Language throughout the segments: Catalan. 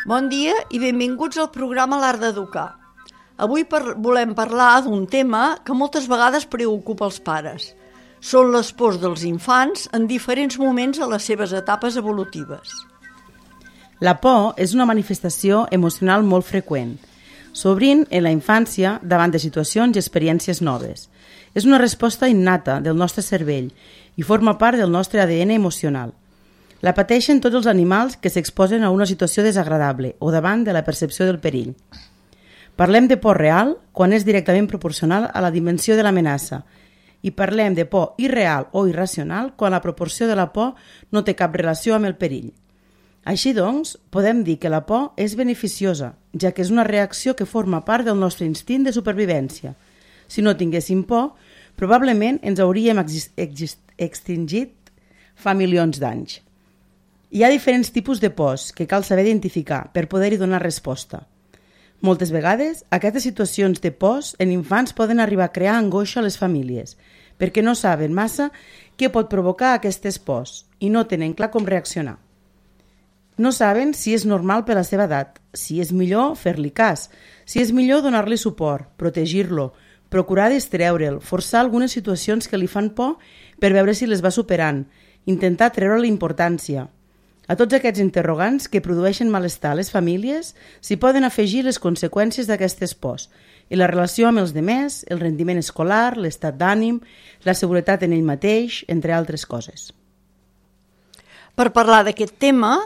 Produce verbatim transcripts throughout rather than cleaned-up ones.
Bon dia i benvinguts al programa L'Art d'Educar. Avui par- volem parlar d'un tema que moltes vegades preocupa els pares. Són les pors dels infants en diferents moments a les seves etapes evolutives. La por és una manifestació emocional molt freqüent, sovint en la infància davant de situacions i experiències noves. És una resposta innata del nostre cervell i forma part del nostre A D N emocional. La pateixen tots els animals que s'exposen a una situació desagradable o davant de la percepció del perill. Parlem de por real quan és directament proporcional a la dimensió de l'amenaça i parlem de por irreal o irracional quan la proporció de la por no té cap relació amb el perill. Així doncs, podem dir que la por és beneficiosa, ja que és una reacció que forma part del nostre instint de supervivència. Si no tinguéssim por, probablement ens hauríem exist- exist- extingit fa milions d'anys. Hi ha diferents tipus de pors que cal saber identificar per poder-hi donar resposta. Moltes vegades, aquestes situacions de pors en infants poden arribar a crear angoixa a les famílies, perquè no saben massa què pot provocar aquestes pors i no tenen clar com reaccionar. No saben si és normal per la seva edat, si és millor fer-li cas, si és millor donar-li suport, protegir-lo, procurar distreure'l, forçar algunes situacions que li fan por per veure si les va superant, intentar treure-li importància. A tots aquests interrogants que produeixen malestar a les famílies s'hi poden afegir les conseqüències d'aquestes pors i la relació amb els demés, el rendiment escolar, l'estat d'ànim, la seguretat en ell mateix, entre altres coses. Per parlar d'aquest tema,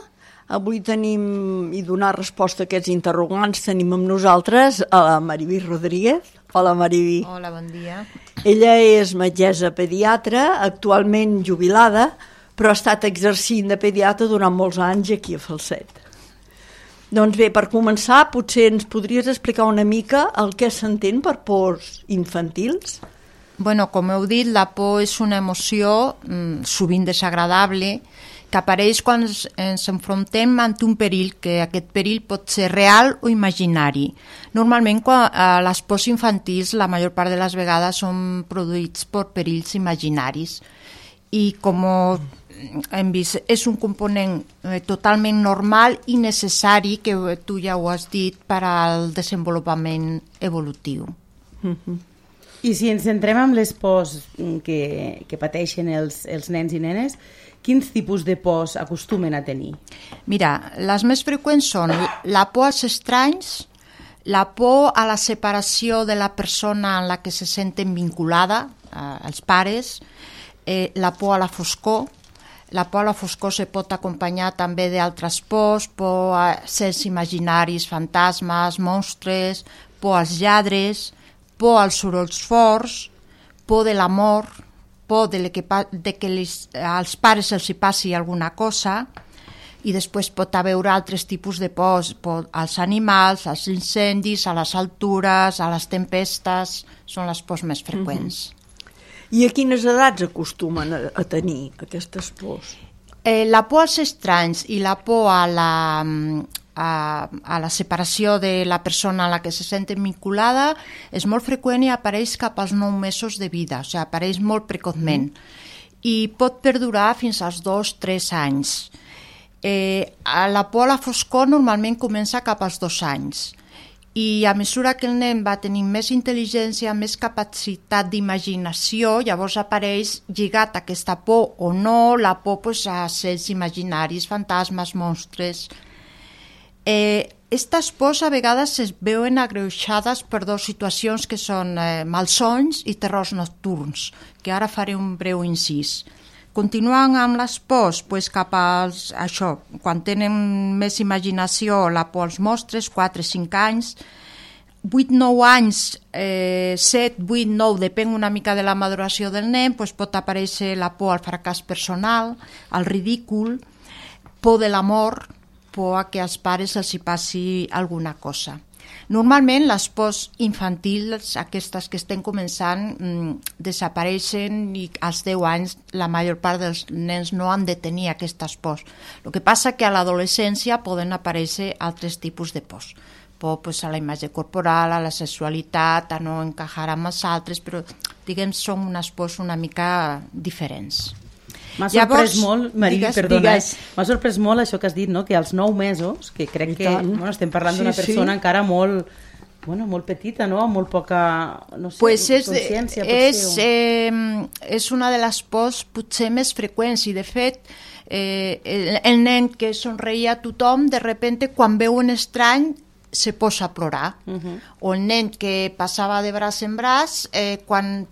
avui tenim i donar resposta a aquests interrogants tenim amb nosaltres a la Mariví Rodríguez. Hola, Mariví. Hola, bon dia. Ella és metgessa pediatra, actualment jubilada, però ha estat exercint de pediatra durant molts anys aquí a Falset. Doncs bé, per començar, potser ens podries explicar una mica el que s'entén per pors infantils? Bueno, com heu dit, la por és una emoció mm, sovint desagradable que apareix quan ens, ens enfrontem amb un perill, que aquest perill pot ser real o imaginari. Normalment, quan, eh, les pors infantils, la major part de les vegades, són produïts per perills imaginaris. I com hem vist, és un component eh, totalment normal i necessari, que tu ja ho has dit, per al desenvolupament evolutiu. Mm-hmm. I si ens centrem en les pors que, que pateixen els, els nens i nenes, quins tipus de pors acostumen a tenir? Mira, les més freqüents són la por als estranys, la por a la separació de la persona en la que se senten vinculada, eh, els pares, eh, la por a la foscor. La por a la foscor se pot acompanyar també d'altres pors, por a sers imaginaris, fantasmes, monstres, por als lladres, por als sorolls forts, por de l'amor, por de que, de que les, als pares els hi passi alguna cosa, i després pot haver altres tipus de pors, por als animals, als incendis, a les altures, a les tempestes, són les pors més freqüents. Mm-hmm. I a quines edats acostumen a, a tenir aquestes pors? Eh, la por als estranys i la por a la, a, a la separació de la persona a la que se senten vinculada és molt freqüent i apareix cap als nou mesos de vida, o sigui, apareix molt precozment. Mm. I pot perdurar fins als dos o tres anys. Eh, la por a la foscor normalment comença cap als dos anys. I a mesura que el nen va tenir més intel·ligència, més capacitat d'imaginació, llavors apareix lligat a aquesta por o no, la por pues, a sers imaginaris, fantasmes, monstres. Eh, Estas pors a vegades es veuen agreujades per dues situacions que són eh, malsons i terrors nocturns, que ara faré un breu incís. Continuant amb les pors, pues cap als, això, quan tenen més imaginació, la por als monstres, quatre o cinc anys, vuit o nou anys, eh, set, vuit, nou, depèn una mica de la maduració del nen, pues pot aparèixer la por al fracàs personal, al ridícul, por de l'amor, por a que als pares els hi passi alguna cosa. Normalment les pors infantils, aquestes que estem començant, mmm, desapareixen i als deu anys la major part dels nens no han de tenir aquestes pors. El que passa que a l'adolescència poden aparèixer altres tipus de pors. por pues, a la imatge corporal, a la sexualitat, a no encajar amb els altres, però diguem, són unes pors una mica diferents. M'ha sorprès Llavors, molt, Marí, digues, perdona, digues. m'ha sorprès molt això que has dit, no? Que als nou mesos, que crec que bueno, estem parlant Sí, d'una persona sí. encara molt, bueno, molt petita, no? Amb molt poca, no sé, pues és, consciència, és, potser. eh, és una de les pors potser més freqüents i de fet eh, el, el nen que somreia a tothom de repente quan veu un estrany se posa a plorar uh -huh. o el nen que passava de braç en braç eh, quan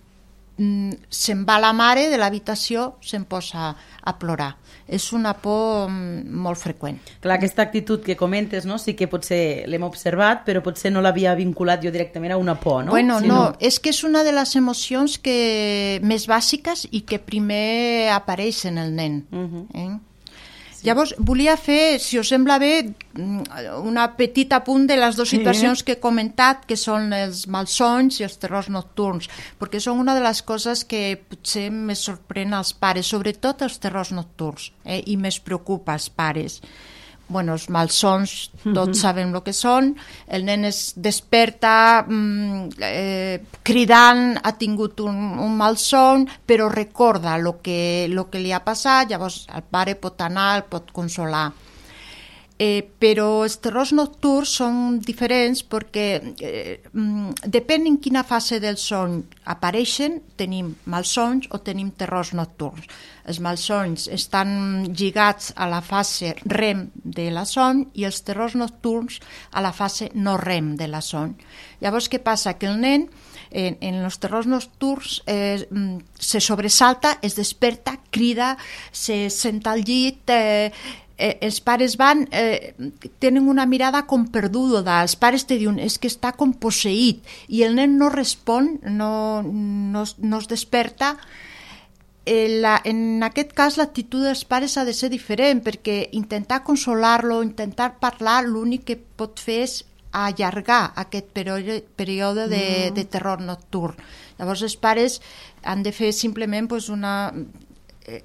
mm, se'n va la mare de l'habitació se'n posa a plorar. És una por mm, molt freqüent. Clar, aquesta actitud que comentes, no? Sí que potser l'hem observat, però potser no l'havia vinculat jo directament a una por, no? Bueno, sí, no, no, és que és una de les emocions que més bàsiques i que primer apareix en el nen. Uh-huh. eh? Sí. Llavors, volia fer, si us sembla bé, una petita apunt de les dues situacions sí. que he comentat, que són els malsons i els terrors nocturns, perquè són una de les coses que potser més sorprèn als pares, sobretot els terrors nocturns, eh, i més preocupa als pares. Bueno, els malsons, tots uh-huh. sabem el que són, el nen es desperta mm, eh, cridant, ha tingut un, un malson, però recorda el que, lo que li ha passat, llavors el pare pot anar, el pot consolar. Eh, però els terrors nocturns són diferents perquè eh, depèn en quina fase del son apareixen, tenim malsons o tenim terrors nocturns. Els malsons estan lligats a la fase rem de la son i els terrors nocturns a la fase no rem de la son. Llavors, què passa? Que el nen en, en els terrors nocturns eh, se sobresalta, es desperta, crida, se senta al llit, eh, Eh, els pares van, eh, tenen una mirada com perduda, els pares te diuen és que està com posseït i el nen no respon, no, no, no es desperta. Eh, la, en aquest cas l'actitud dels pares ha de ser diferent perquè intentar consolar-lo, intentar parlar, l'únic que pot fer és allargar aquest període, període de, de terror nocturn. Llavors els pares han de fer simplement pues, una...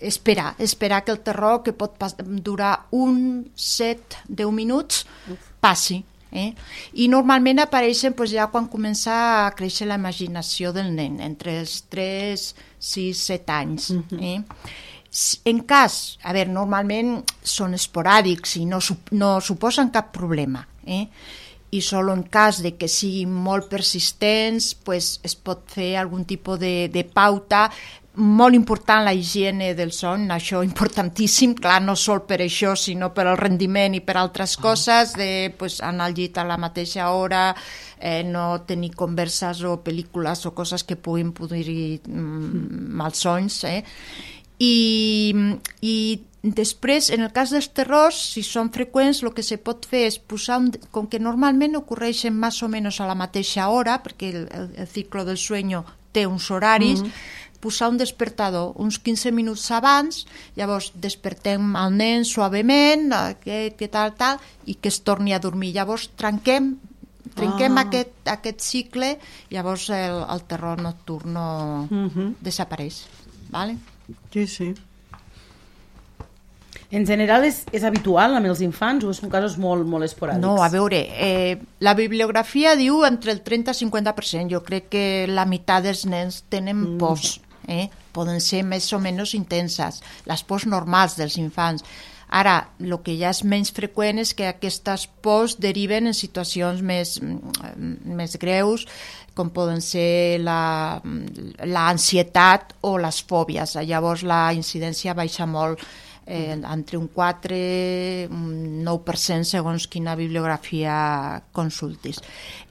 esperar, esperar que el terror que pot durar un, set, deu minuts passi. Eh? I normalment apareixen pues, ja quan comença a créixer la imaginació del nen, entre els tres, sis, set anys. Eh? En cas, a veure, normalment són esporàdics i no, no suposen cap problema. Eh? I sol en cas de que siguin molt persistents pues, es pot fer algun tipus de, de pauta. Molt important la higiene del son, això importantíssim, clar, no sol per això, sinó per al rendiment i per altres coses, de pues, anar al llit a la mateixa hora, eh, no tenir converses o pel·lícules o coses que puguin produir mm, malsons. Eh? I, I després, en el cas dels terrors, si són freqüents, el que se pot fer és posar, un, com que normalment ocorreixen més o menys a la mateixa hora, perquè el, el, el ciclo del sueño té uns horaris, mm-hmm. posar un despertador uns quinze minuts abans, llavors despertem el nen suavement, que, que tal, tal, i que es torni a dormir. Llavors trenquem, trenquem ah. aquest, aquest cicle, llavors el, el terror nocturn no uh-huh. desapareix. Vale? Sí, sí. En general és, és habitual amb els infants o són casos molt, molt esporàdics? No, a veure, eh, la bibliografia diu entre el trenta i cinquanta per cent. Jo crec que la meitat dels nens tenen mm. pors. Eh? Poden ser més o menys intenses, les pors normals dels infants. Ara, el que ja és menys freqüent és que aquestes pors deriven en situacions més, més greus, com poden ser l'ansietat o les fòbies. Llavors la incidència baixa molt, eh, entre un quatre un nou per cent segons quina bibliografia consultis.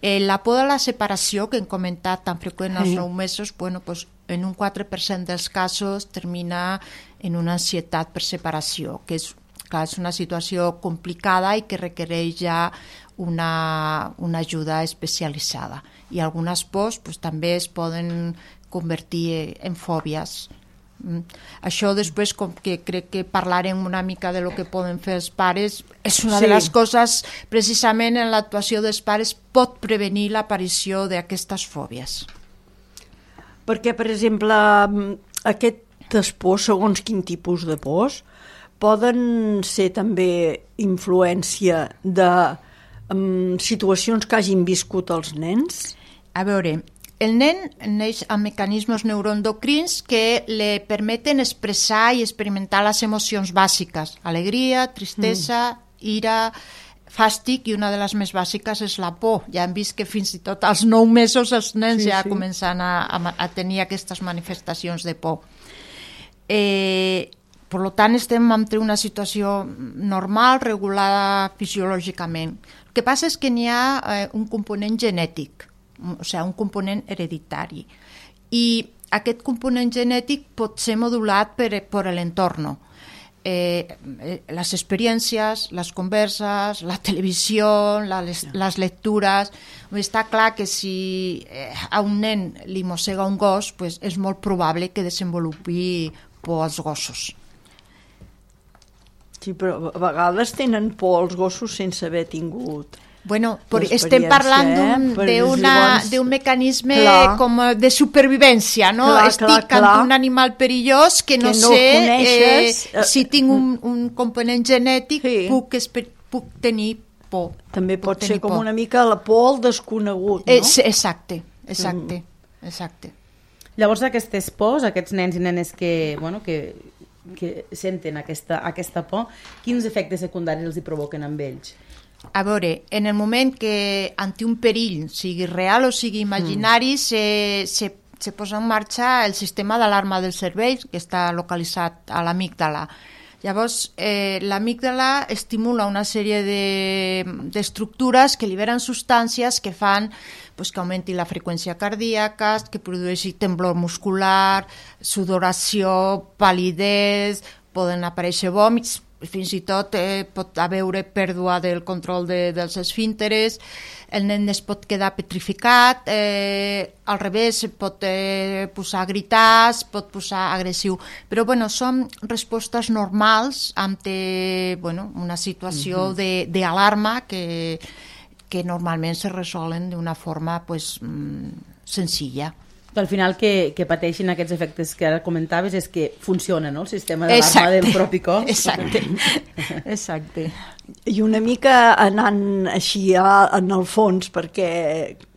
Eh, la por de la separació, que hem comentat tan freqüent als nou mesos, bueno, pues, en un quatre per cent dels casos termina en una ansietat per separació, que és, clar, és una situació complicada i que requereix ja una, una ajuda especialitzada. I algunes pors pues, també es poden convertir en fòbies. Mm. Això després, com que crec que parlarem una mica de lo que poden fer els pares, és una sí. de les coses, precisament en l'actuació dels pares pot prevenir l'aparició d'aquestes fòbies. Perquè, per exemple, aquestes pors, segons quin tipus de pors, poden ser també influència de amb situacions que hagin viscut els nens? A veure, el nen neix amb mecanismes neuroendocrins que li permeten expressar i experimentar les emocions bàsiques, alegria, tristesa, mm. ira, fàstic, i una de les més bàsiques és la por. Ja hem vist que fins i tot als nou mesos els nens sí, ja sí. comencen a, a, a tenir aquestes manifestacions de por. Eh, per tant, estem entre una situació normal, regulada fisiològicament. El que passa és que n'hi ha eh, un component genètic, o sigui, un component hereditari. I aquest component genètic pot ser modulat per, per l'entorn. Eh, les experiències, les converses, la televisió, la, les, les lectures. Està clar que si a un nen li mossega un gos, pues és molt probable que desenvolupi por als gossos. Sí, però a vegades tenen por als gossos sense haver tingut... Bueno, estem parlant eh? d'un mecanisme clar. com de supervivència, no? Clar, Estic clar, clar. amb un animal perillós que no, que no sé eh, si tinc un, un component genètic sí. puc, puc tenir por. També pot puc ser com por. una mica la por al desconegut, no? Eh, exacte, exacte, mm. exacte. Llavors aquestes pors, aquests nens i nenes que, bueno, que, que senten aquesta, aquesta por, quins efectes secundaris els hi provoquen amb ells? A veure, en el moment que ante un perill, sigui real o sigui imaginari, mm. se, se, se posa en marxa el sistema d'alarma del cervell, que està localitzat a l'amígdala. Llavors, eh, l'amígdala estimula una sèrie d'estructures de, que liberen substàncies que fan pues, que augmenti la freqüència cardíaca, que produeixi temblor muscular, sudoració, palidesa, poden aparèixer vòmits, fins i tot eh, pot haver pèrdua del control de, dels esfínteres, el nen es pot quedar petrificat, eh, al revés, pot eh, posar a gritar, es pot posar agressiu. Però bueno, són respostes normals ante bueno, una situació uh-huh. d'alarma que, que normalment se resolen d'una forma pues, senzilla. Al final que, que pateixin aquests efectes que ara comentaves és que funciona, no?, el sistema d'alarma del propi cos. Exacte, exacte. I una mica anant així a, en el fons, perquè,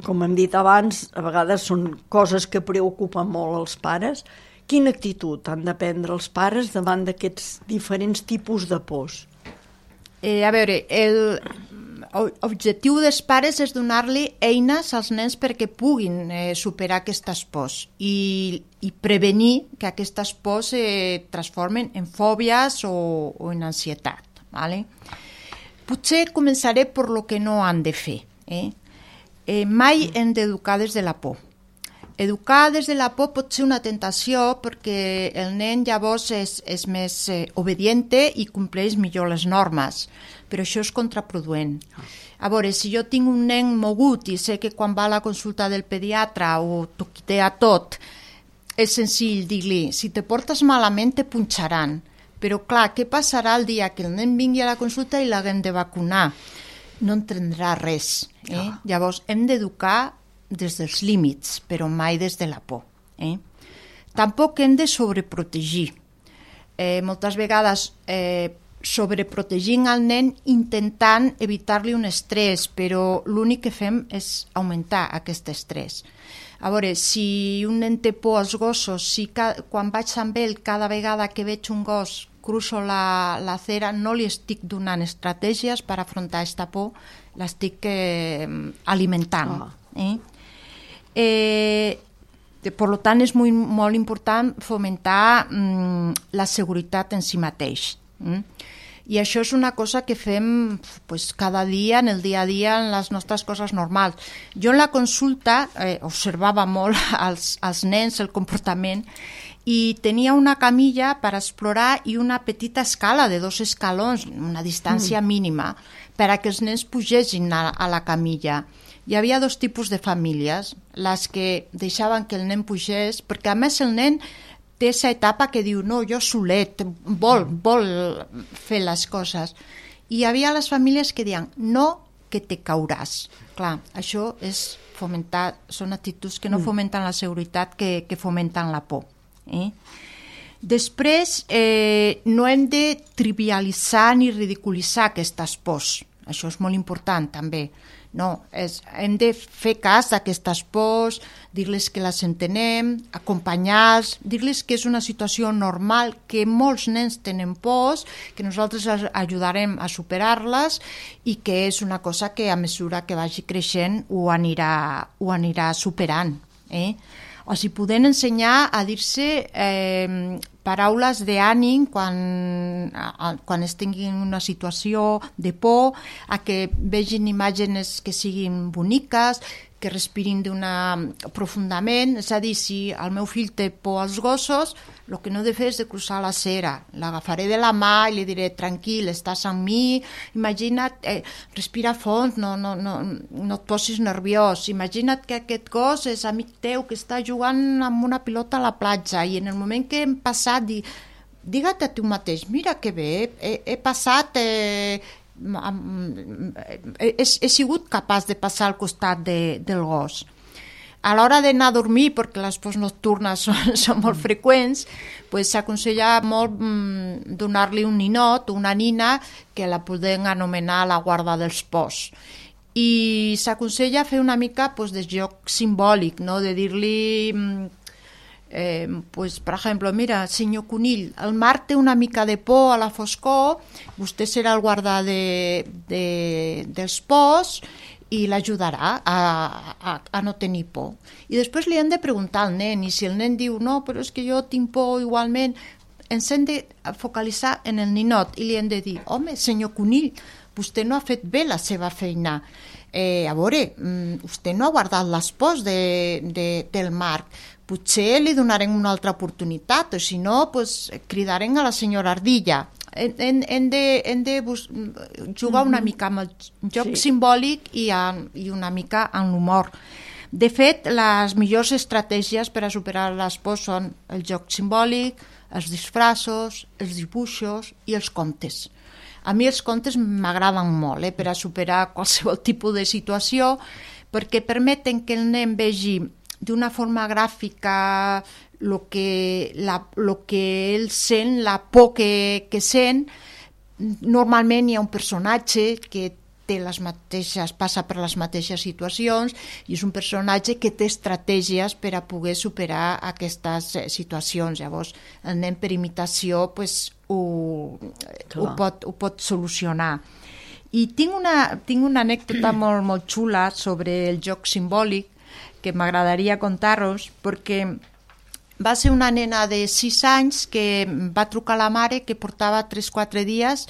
com hem dit abans, a vegades són coses que preocupen molt els pares. Quina actitud han de prendre els pares davant d'aquests diferents tipus de pors? Eh, a veure, el... L'objectiu dels pares és donar-li eines als nens perquè puguin eh, superar aquestes pors i, i prevenir que aquestes pors es eh, transformen en fòbies o, o en ansietat. ¿Vale? Potser començaré per lo que no han de fer. Eh? Eh, mai hem d'educar des de la por. Educar des de la por pot ser una tentació perquè el nen llavors és, és més eh, obediente i compleix millor les normes, però això és contraproduent. A veure, si jo tinc un nen mogut i sé que quan va a la consulta del pediatre ho toquitea tot, és senzill dir-li, si te portes malament te punxaran, però clar, què passarà el dia que el nen vingui a la consulta i l'haguem de vacunar? No entendrà res. Eh? Oh. Llavors hem d'educar des dels límits, però mai des de la por. Eh? Tampoc hem de sobreprotegir. Eh, moltes vegades eh, sobreprotegint el nen intentant evitar-li un estrès, però l'únic que fem és augmentar aquest estrès. A veure, si un nen té por als gossos, si ca- quan vaig amb ell cada vegada que veig un gos cruzo la, la acera, no li estic donant estratègies per afrontar aquesta por, l'estic eh, alimentant. Oh. Eh? Eh, per tant, és molt, molt important fomentar mm, la seguretat en si mateix. Mm? I això és una cosa que fem pues, cada dia, en el dia a dia, en les nostres coses normals. Jo en la consulta eh, observava molt als, als nens el comportament i tenia una camilla per explorar i una petita escala de dos escalons, una distància mm. mínima, per a que els nens pugessin a, a la camilla. Hi havia dos tipus de famílies, les que deixaven que el nen pugés, perquè a més el nen té aquesta etapa que diu, no, jo solet, vol, vol fer les coses. I hi havia les famílies que diuen, no, que te cauràs. Clar, això és fomentar, són actituds que no fomenten la seguretat, que, que fomenten la por. Eh? Després, eh, no hem de trivialitzar ni ridiculitzar aquestes pors. això és molt important també. No, és, hem de fer cas d'aquestes pors, dir-les que les entenem, acompanyar-los, dir-les que és una situació normal, que molts nens tenen pors, que nosaltres ajudarem a superar-les i que és una cosa que a mesura que vagi creixent ho anirà, ho anirà superant. Eh? O sigui, podem ensenyar a dir-se eh, paraules d'ànim quan, quan es tinguin una situació de por, a que vegin imatges que siguin boniques, que respirin d'una profundament. És a dir, si el meu fill té por als gossos, el que no he de fer és de cruzar la cera. L'agafaré de la mà i li diré, tranquil, estàs amb mi, imagina't, eh, respira fons, no, no, no, no et posis nerviós, imagina't que aquest gos és amic teu que està jugant amb una pilota a la platja i en el moment que hem passat, di, digue-te a tu mateix, mira que bé, he, he passat... Eh, He, he sigut capaç de passar al costat de, del gos. A l'hora d'anar a dormir, perquè les pors nocturnes són, són molt freqüents, pues, s'aconsella molt mm, donar-li un ninot, una nina, que la podem anomenar la guarda dels pors. I s'aconsella fer una mica pues, de joc simbòlic, no? De dir-li... Mm, Eh, pues, per exemple, mira, senyor Conill, el mar té una mica de por a la foscor, vostè serà el guardar de, de, dels pors i l'ajudarà a, a, a no tenir por. I després li hem de preguntar al nen, i si el nen diu no, però és que jo tinc por igualment, ens hem de focalitzar en el ninot i li hem de dir, home, senyor Conill, vostè no ha fet bé la seva feina. Eh, a veure, vostè no ha guardat les pors de, de, del mar, potser li donarem una altra oportunitat, o si no, pues, cridarem a la senyora Ardilla. Hem, hem de, hem de bus- jugar una mica amb el joc sí. simbòlic i, a, i una mica amb l'humor. De fet, les millors estratègies per a superar les pors són el joc simbòlic, els disfraços, els dibuixos i els contes. A mi els contes m'agraden molt eh, per a superar qualsevol tipus de situació, perquè permeten que el nen vegi d'una forma gràfica lo que, la, lo que ell sent, la por que, que sent. Normalment hi ha un personatge que té les mateixes, passa per les mateixes situacions i és un personatge que té estratègies per a poder superar aquestes situacions. Llavors, el nen per imitació pues, ho, ho, pot, ho pot solucionar. I tinc una, tinc una anècdota molt, molt xula sobre el joc simbòlic que m'agradaria contar-vos, perquè va ser una nena de sis anys que va trucar a la mare que portava tres o quatre dies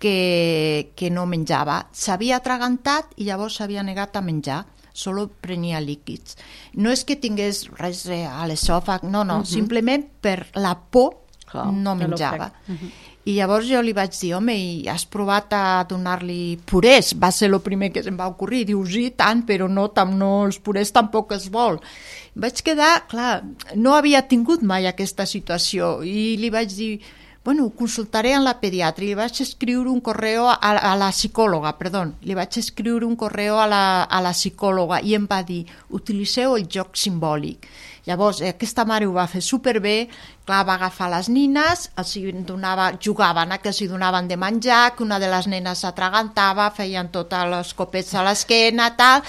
que, que no menjava. S'havia atragantat i llavors s'havia negat a menjar, solo prenia líquids. No és que tingués res a l'esòfag, no, no, uh-huh. simplement per la por Clar, no menjava. Uh-huh. I llavors jo li vaig dir, home, i has provat a donar-li purés? Va ser el primer que se'm va ocorrir. Diu, sí, tant, però no, tam, no, els purés tampoc els vol. Vaig quedar, clar, no havia tingut mai aquesta situació i li vaig dir, bueno, ho consultaré en la pediatra. I li vaig escriure un correu a, a la psicòloga, perdó, li vaig escriure un correu a la, a la psicòloga i em va dir, utilitzeu el joc simbòlic. Llavors, aquesta mare ho va fer superbé, clar, va agafar les nines, els donava, jugaven a que els donaven de menjar, que una de les nenes s'atragantava, feien tots els copets a l'esquena, tal,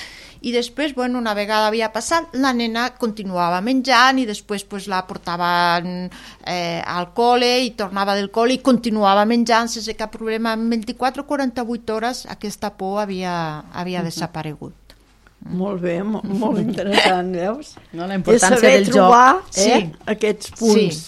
i després, bueno, una vegada havia passat, la nena continuava menjant i després pues, la portaven eh, al col·le i tornava del col·le i continuava menjant sense cap problema. En vint-i-quatre o quaranta-vuit hores aquesta por havia, havia uh-huh. desaparegut. Molt bé, molt, molt interessant, veus? No, la importància saber del trobar joc. eh, sí. aquests punts.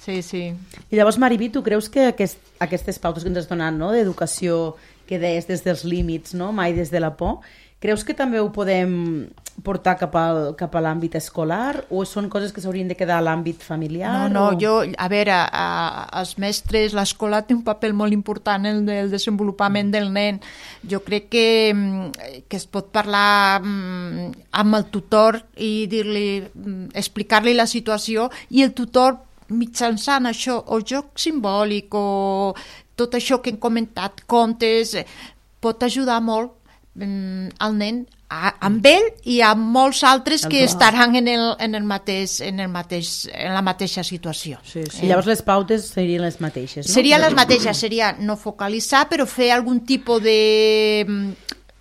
Sí, sí, sí. I llavors, Mariví, tu creus que aquest, aquestes pautes que ens has donat, no?, d'educació que deies des dels límits, no?, mai des de la por, creus que també ho podem portar cap al, cap a l'àmbit escolar o són coses que s'haurien de quedar a l'àmbit familiar? No, no, o... jo, a veure, a, els mestres, l'escola té un paper molt important en el desenvolupament del nen. Jo crec que, que es pot parlar amb el tutor i dir-li, explicar-li la situació i el tutor mitjançant això, o joc simbòlic o tot això que hem comentat, contes, pot ajudar molt al nen a, amb ell i amb molts altres que Clar. estaran en, el, en, el mateix, en, el mateix, en la mateixa situació. Sí, sí. I llavors les pautes serien les mateixes, no? Serien les mateixes, seria no focalitzar, però fer algun tipus de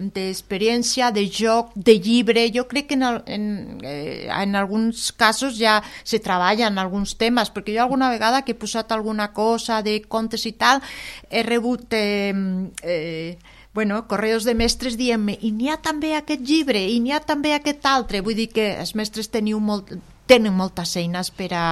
d'experiència, de joc, de llibre. Jo crec que en, el, en, eh, en alguns casos ja se treballa en alguns temes, perquè jo alguna vegada que he posat alguna cosa de contes i tal, he rebut eh, eh, bueno, correus de mestres dient-me i n'hi ha també aquest llibre, i n'hi ha també aquest altre. Vull dir que els mestres teniu molt, tenen moltes eines per a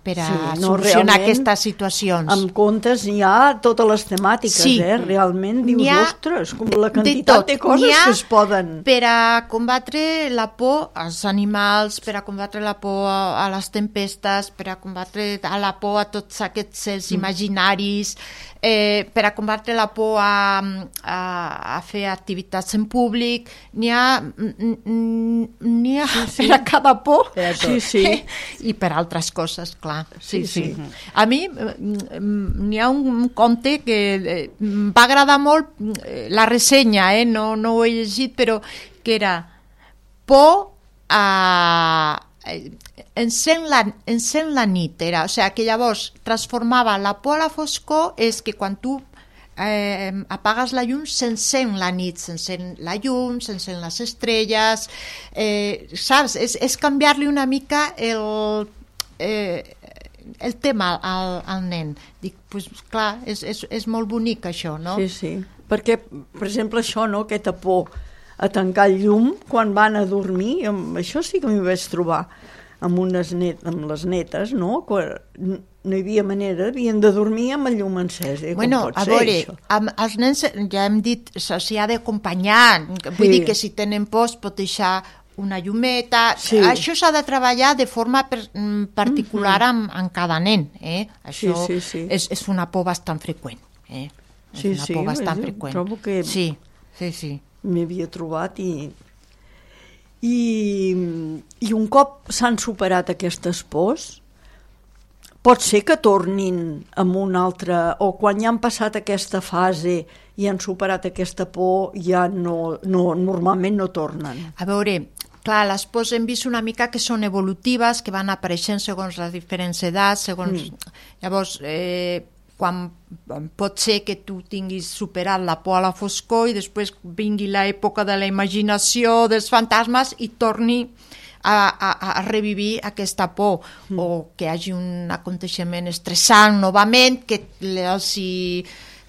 per a sí, no, solucionar aquestes situacions. Amb contes hi ha totes les temàtiques, sí. eh? Realment dius, ostres, com la quantitat de, de coses que es poden... Per a combatre la por als animals, per a combatre la por a, a les tempestes, per a combatre a la por a tots aquests els mm. imaginaris, eh, per a combatre la por a, a, a fer activitats en públic, n'hi ha, n'hi ha sí, sí. per a cada por sí, sí. i per altres coses, clar. Sí, sí. sí. A mi n'hi ha un, un conte que eh, va agradar molt la ressenya, eh? no, no ho he llegit, però que era por a... Encén la, encén la nit, era, o sigui, que llavors transformava la por a la foscor, és que quan tu eh, apagues la llum s'encén la nit, s'encén la llum, s'encén les estrelles, eh, saps? És, és canviar-li una mica el... Eh, el tema al, al nen. Dic, pues, clar, és, és, és molt bonic això, no? Sí, sí, perquè, per exemple, això, no?, aquesta por a tancar el llum quan van a dormir, amb, això sí que m'hi vaig trobar amb, unes net, amb les netes, no?, quan no hi havia manera, havien de dormir amb el llum encès. Eh? Bueno, com pot a ser, veure, això? amb els nens ja hem dit, s'hi ha d'acompanyar, vull Sí. dir que si tenen por es pot deixar una llumeta, Sí. això s'ha de treballar de forma per, particular mm-hmm. amb, amb cada nen, eh? Això Sí, sí, sí. És, és una por bastant freqüent, eh? És Sí, una sí, por bastant jo freqüent. trobo que- Sí, sí, sí. M'hi havia trobat i, i, i un cop s'han superat aquestes pors, pot ser que tornin amb una altra, o quan ja han passat aquesta fase i han superat aquesta por, ja no, no, normalment no tornen. A veure, clar, les pors hem vist una mica que són evolutives, que van apareixent segons les diferents edats, segons... Mm. Llavors, eh, quan pot ser que tu tinguis superat la por a la foscor i després vingui l'època de la imaginació, dels fantasmes i torni a, a, a revivir aquesta por, mm. o que hi hagi un aconteixement estressant novament que els hi,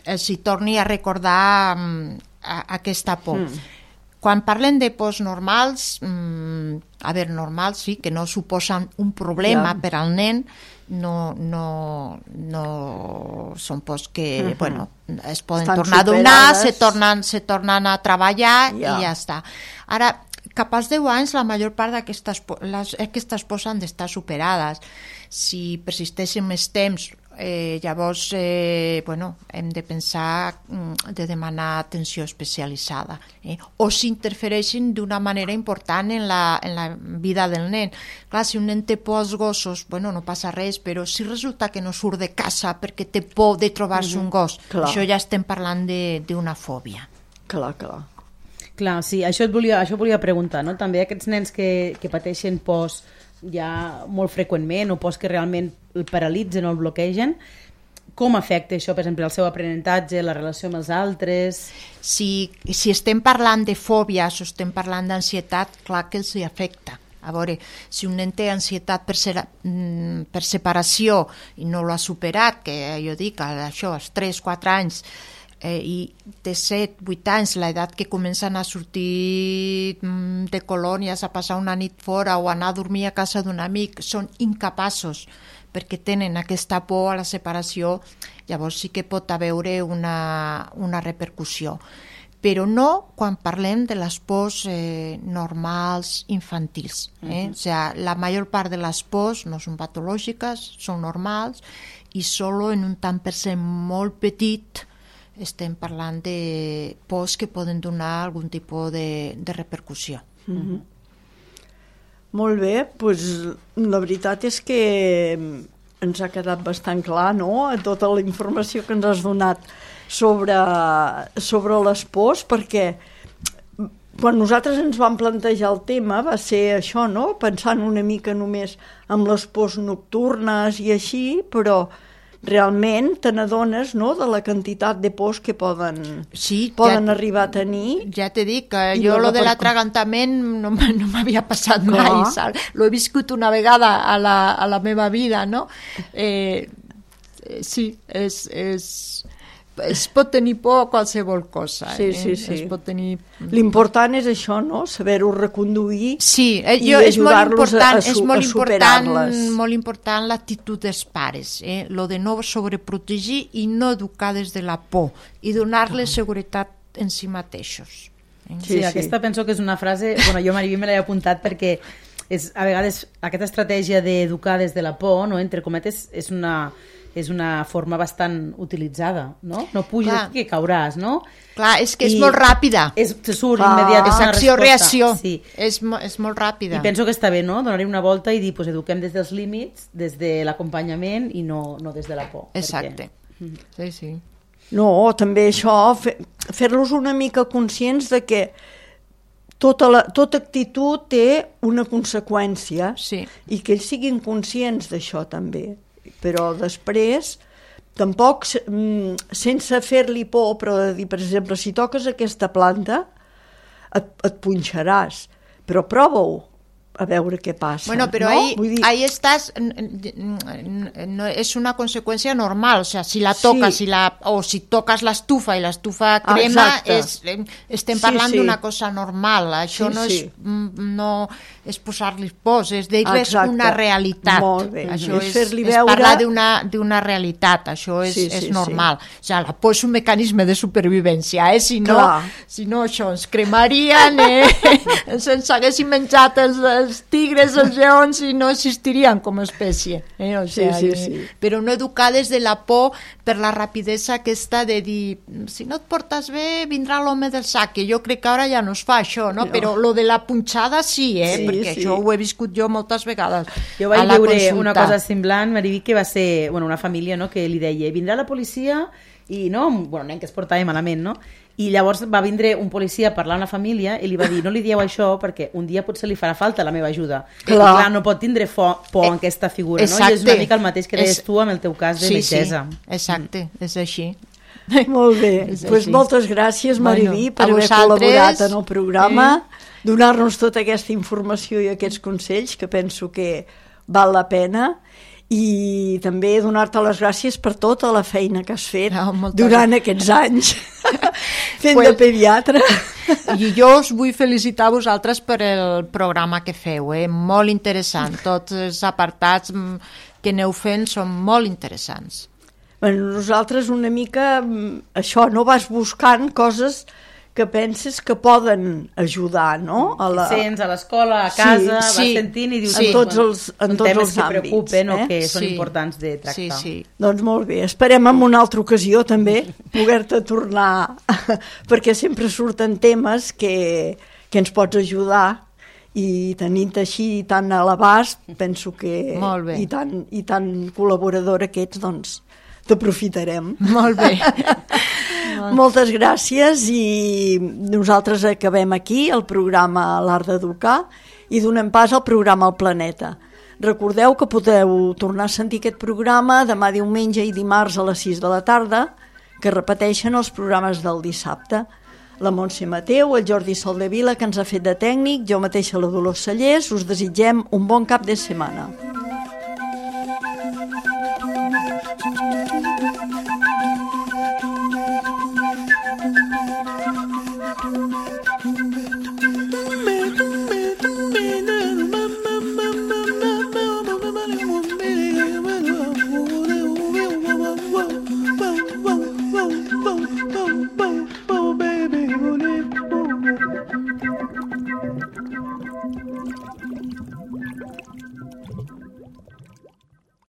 els hi torni a recordar um, a, aquesta por. Mm. Quan parlen de pors normals, mmm, a veure, normals sí, que no suposen un problema ja. per al nen, no, no, no són pors que, uh-huh. bueno, es poden Estan tornar a donar, superades. se tornen, se tornen a treballar ja. i ja està. Ara, cap als deu anys la major part d'aquestes aquestes pors han d'estar superades. Si persisteixen més temps, eh, llavors eh, bueno, hem de pensar de demanar atenció especialitzada, eh? o si interfereixen d'una manera important en la, en la vida del nen. Clar, si un nen té por als gossos, bueno, no passa res, però si resulta que no surt de casa perquè té por de trobar-se mm-hmm. un gos, clar. Això ja estem parlant d'una fòbia. Clar, clar. Clar, sí, això et volia, això volia preguntar, no? També aquests nens que, que pateixen pors ja molt freqüentment o pors que realment el paralitzen o el bloquegen, com afecta això, per exemple, el seu aprenentatge, la relació amb els altres? Si, si estem parlant de fòbies o estem parlant d'ansietat, clar que els hi afecta. A veure, si un nen té ansietat per, ser, per separació i no l'ha superat, que jo dic, això, als tres quatre anys, eh, i té set vuit anys, l'edat que comencen a sortir de colònies, a passar una nit fora o anar a dormir a casa d'un amic, són incapaços perquè tenen aquesta por a la separació, llavors sí que pot haver una, una repercussió. Però no quan parlem de les pors eh, normals infantils. Eh? Uh-huh. O sigui, la major part de les pors no són patològiques, són normals, i solo en un tant per cent molt petit estem parlant de pors que poden donar algun tipus de, de repercussió. Uh-huh. Molt bé, doncs la veritat és que ens ha quedat bastant clar, no?, tota la informació que ens has donat sobre, sobre les pors, perquè quan nosaltres ens vam plantejar el tema va ser això, no? Pensant una mica només en les pors nocturnes i així, però realment te n'adones, no?, de la quantitat de pors que poden, sí, poden ja, arribar a tenir. Ja t'he dit que jo lo de l'atragantament no, no m'havia passat Clar. mai, saps? Lo he viscut una vegada a la, a la meva vida, no? Eh, sí, és... és es pot tenir por a qualsevol cosa. Sí, eh? sí, sí. Es pot tenir... L'important és això, no?, saber-ho reconduir sí, eh, i jo, és molt important, a, a, és molt a important, superar-les. molt important l'actitud dels pares, eh? Lo de no sobreprotegir i no educar des de la por i donar-les seguretat en si mateixos. Eh? Sí, sí, aquesta penso que és una frase, bueno, jo Mariví me l'he apuntat perquè és, a vegades aquesta estratègia d'educar des de la por, no, entre cometes, és una... és una forma bastant utilitzada, no? No puges Clar. que cauràs, no? Clar, és que és I molt ràpida. És, se surt ah, immediat. És acció-reacció. Sí. És, és molt ràpida. I penso que està bé, no?, donar-hi una volta i dir, pues, eduquem des dels límits, des de l'acompanyament i no, no des de la por. Exacte. Perquè... Sí, sí. No, també això, fer, fer-los una mica conscients de que tota, la, tota actitud té una conseqüència sí. i que ells siguin conscients d'això també. Però després, tampoc sense fer-li por, però de dir, per exemple, si toques aquesta planta, et, et punxaràs, però prova-ho, a veure què passa. Bueno, però no? ahí, dir... ahí estàs, no, és una conseqüència normal, o sea, si la toques sí. si la, o si toques l'estufa i l'estufa crema, ah, és, estem parlant sí, sí. d'una cosa normal, això sí, no, és, sí. no és posar-li pors, és dir-les una realitat. Molt bé. Això és, és, fer-li és veure... parlar d'una realitat, això és, sí, sí, és normal. Sí. O sea, la por és un mecanisme de supervivència, eh? si, no, si no això ens cremarien, eh? ens haguessin menjat els, els tigres, els lleons i no existirien com a espècie. Eh? O sea, sí, sí, sí. Eh? Però no educar des de la por per la rapidesa aquesta de dir si no et portes bé vindrà l'home del sac, que jo crec que ara ja no es fa això, no? no. Però lo de la punxada sí, eh? Sí, perquè sí. això ho he viscut jo moltes vegades. Jo vaig veure consulta. Una cosa semblant, Mariví, que va ser bueno, una família, no?, que li deia vindrà la policia i no, bueno, nen que es portava malament, no? I llavors va vindre un policia a parlar amb la família i li va dir, no li dieu això perquè un dia potser li farà falta la meva ajuda. Clar, I, clar no pot tindre por eh, en aquesta figura, exacte. No? I és una mica el mateix que deies tu amb el teu cas de sí, metgessa. Sí, exacte, mm. és així. Molt bé, doncs pues moltes gràcies, Mariví, bueno, per haver col·laborat en el programa, eh? donar-nos tota aquesta informació i aquests consells que penso que val la pena, i també donar-te les gràcies per tota la feina que has fet no, durant aquests anys fent pues, de pediatre. I jo us vull felicitar a vosaltres per el programa que feu, eh? Molt interessant, tots els apartats que aneu fent són molt interessants. Bueno, nosaltres una mica això, no vas buscant coses que penses que poden ajudar, no? A la... Sents a l'escola, a casa, sí, vas sí, sentint i dius... Sí. En tots els, en tots temes els que àmbits, preocupen eh? o que són sí. importants de tractar. Sí, sí. Doncs molt bé, esperem en una altra ocasió també poder-te tornar, perquè sempre surten temes que, que ens pots ajudar i tenint així tan a l'abast, penso que... Molt bé. I tan, i tan col·laboradora que ets, doncs t'aprofitarem. Molt bé. Moltes gràcies i nosaltres acabem aquí el programa L'Art d'Educar i donem pas al programa El Planeta. Recordeu que podeu tornar a sentir aquest programa demà diumenge i dimarts a les sis de la tarda, que repeteixen els programes del dissabte. La Montse Mateu, el Jordi Soldevila, que ens ha fet de tècnic, jo mateixa la Dolors Cellers, us desitgem un bon cap de setmana.